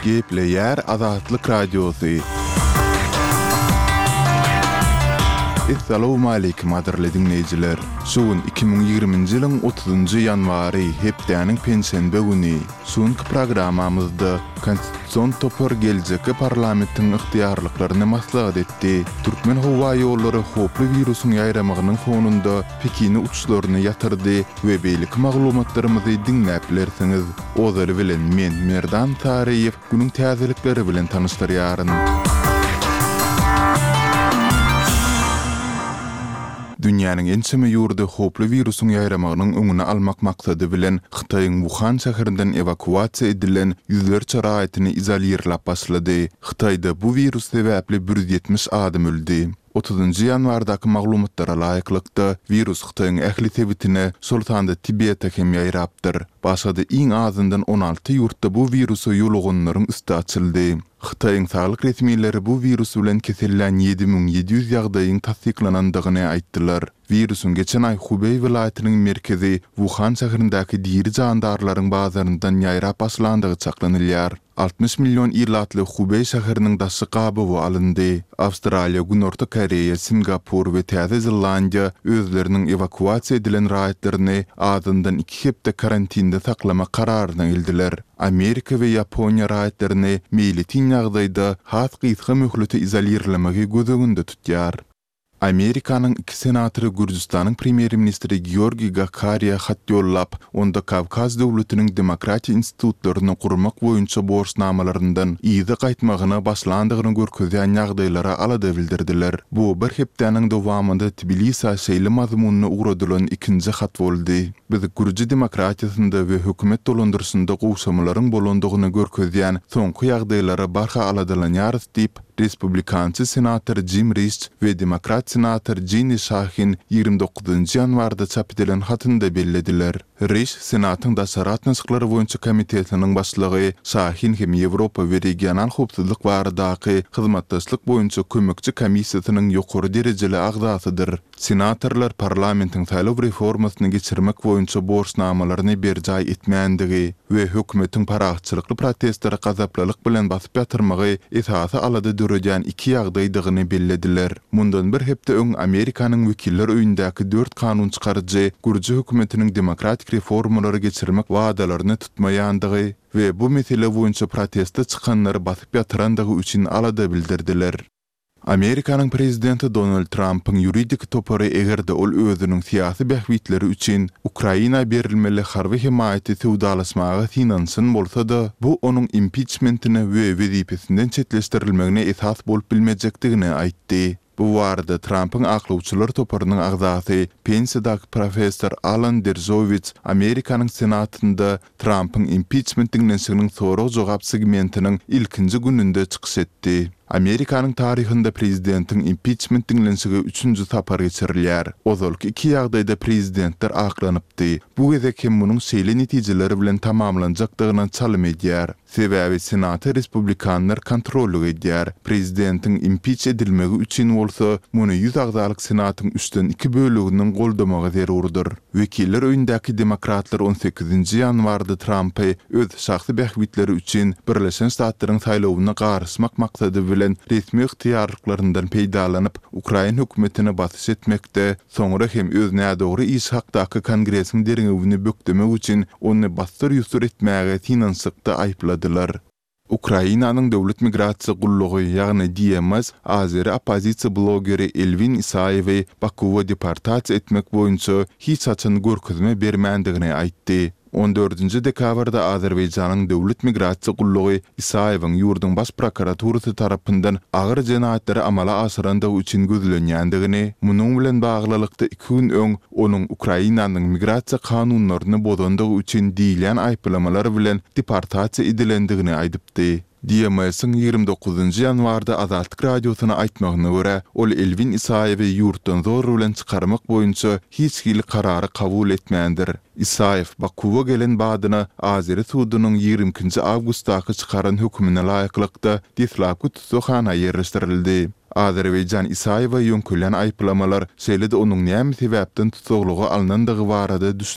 Gepleýär Azatlyk Radiosy. Essalawmaleýkim gadyrly diňleýjiler! Şu gün 2020-nji ýylyň otuzynjy ýanwary, hepdäniň penşenbe güni. Şu günki programmamyzda Konstitusion topar geljekki parlamentiň ygtyýarlyklaryny maslahat etdi. Türkmen howa ýollary howply wirusyň ýaýramagynyň fonunda Pekine uçuşlaryny ýatyrdy we beýleki maglumatlarymyzy diňläp bilersiňiz. Ozaly bilen men Merdan Saryýew günüň täzelikleri bilen tanyşdyrýaryn. Dünýäniň ençeme ýurdy howply wirusyň ýaýramagynyň öňüni almak maksady bilen Hytaýyň Wuhan şäherinden ewakuasiýa edilen ýüzlerçe raýatyny izolirläp başlady. Hytaýda bu wirus sebäpli 170 adam öldi. Otuzynjy ýanwardaky maglumatlara laýyklykda, wirus Hytaýyň ähli sebitine, şol sanda Tibete hem ýaýrapdyr. Başga-da iň azyndan 16 ýurtda bu wirusa ýoluganlaryň üsti açyldy. Hytaýyň saglyk resmileri bu wirus bilen kesellän 7700 ýagdaýyň tassyklanandygyny aýtdylar. Wirusyň geçen aý Hubeý welaýatynyň merkezi Wuhan şäherindäki diri jandarlaryň bazaryndan ýaýrap başlandygy çaklanylýar. 60 million ilatly Hubeý şäheriniň daşy gabawa alyndy. Awstraliýa, Günorta Koreýa, Singapur we Täze Zelandiýa özleriniň ewakuasiýa edilen raýatlaryny azyndan iki hepde karantinde saklamak kararyna geldiler. Amerika we Ýaponiýa raýatlaryny meýletin ýagdaýda has gysga möhlete izolirlemegi göz öňünde tutýar. Amerikanyň iki senatory Gürjüstanyň premýer-ministri Georgiý Gakariýa hat ýollap, onda Kawkaz döwletiniň demokratiýa institutlaryny gurmak boýunça borçnamalaryndan yza gaýtmagyna başlandygyny görkezýän ýagdaýlara alada bildirdiler. Bu bir hepdäniň dowamynda Tbilisä şeýle mazmunda ugradylan ikinji hat boldy. Biz gürji demokratiýasynda we hökümet dolandyryşynda gowşamalaryň bolandygyny görkezýän soňky ýagdaýlara barha aladalanýarys diýip, respublikançy senator Jim Riş we demokrat senator Jinni Şahin 29 ýanwarda çap edilen hatynda bellediler. Riş Senatyň daşary gatnaşyklar boýunça komitetiniň başlygy, Şahin hem Ýewropa we regional howpsuzlyk baradaky hyzmatdaşlyk boýunça kömekçi komissiýasynyň ýokary derejeli agzasydyr. Senatorlar parlamentiň saýlaw reformasyny geçirmek boýunça borçnamalaryny berjaý etmändigi we hökümetiň parahatçylykly protestleri gazaplylyk bilen basyp ýatyrmagy esasy alada döredýän iki ýagdaýdygyny bellediler. Mundan bir hepde öň Amerikanyň Wekiller öýündäki dört kanun çykaryjy gürji hökümetiniň demokratik reformalary geçirmek wadalaryny tutmaýandygy we bu mesele boýunça proteste çykanlary basyp ýatyrandygy üçin alada bildirdiler. Amerikanyň prezidenti Donald Trampyň ýuridik topary eger-de ol özüniň syýasy bähbitleri üçin Ukraina berilmeli harby hemaýaty söwdalaşmaga synanyşan bolsa-da, bu onuň impiçmentine we wezipesinden çetleşdirilmegine esas bolup bilmejekdigini aýtdy. Bu barada Trampyň aklawçylar toparynyň agzasy, pensiýadaky professor Alan Deržowitz Amerikanyň Senatynda Trampyň impiçment diňlenişiginiň sorag-jogap segmentiniň ilkinji gününde çykyş etdi. Amerikanyň taryhynda prezidentiň impiçment diňlenişigi üçünji sapar geçirilýär. Ozalky iki ýagdaýda prezidentler aklanypdy. Bu gezek hem munuň şeýle netijeler bilen tamamlanjakdygyna çalym edýär. Sebäbi Senata respublikanlar kontrollyk edýär. Prezidentiň impiç edilmegi üçin bolsa muny ýüz agzalyk Senatyň üçden iki böleginiň goldamagy zerurdyr. Wekiller öýündäki demokratlar on sekizinji ýanwarda Trampy öz şahsy bähbitleri üçin Birleşen Ştatlaryň saýlawyna garyşmak maksady bilen resmi ygtyýarlyklaryndan peýdalanyp, ukrain hökümetine basyş etmekde, soňra hem öz nädogry işi hakdaky Kongresiň derňewini bökdemek üçin ony bassyr-ýusur etmäge synanyşykda aýypladylar. Ukrainanyň Döwlet migrasiýa gullugy, ýagny DMS azeri oppozisiýa blogeri Elwin Isaýewi Bakuwa deportasiýa etmek boýunça hiç haçan görkezme bermändigini aýtdy. On dördünji dekabrda Azerbaýjanyň Döwlet migrasiýa gullugy Isaýewiň ýurduň Baş prokuraturasy tarapyndan agyr jenaýatlary amala aşyrandygy üçin gözlenýändigini, munuň bilen baglylykda iki gün öň onuň Ukrainanyň migrasiýa kanunlaryny bozandygy üçin diýilýän aýyplamalar bilen deportasiýa edilendigini aýdypdy. DMS-iň 29 ýanwarda Azatlyk Radiosyna aýtmagyna görä, ol Elwin Isaýewi ýurtdan zor bilen çykarmak boýunça hiç hili karary kabul etmändir. Isaýew Bakuwa gelen badyna azeri sudunyň 22-nji awgustdaky çykaran hökümine laýyklykda deslapky tussaghana ýerleşdirildi. Azerbaýjan Isaýewa ýöňkelýän aýyplamalar, şeýle-de onuň näme sebäpden tussaglyga alnandygy barada.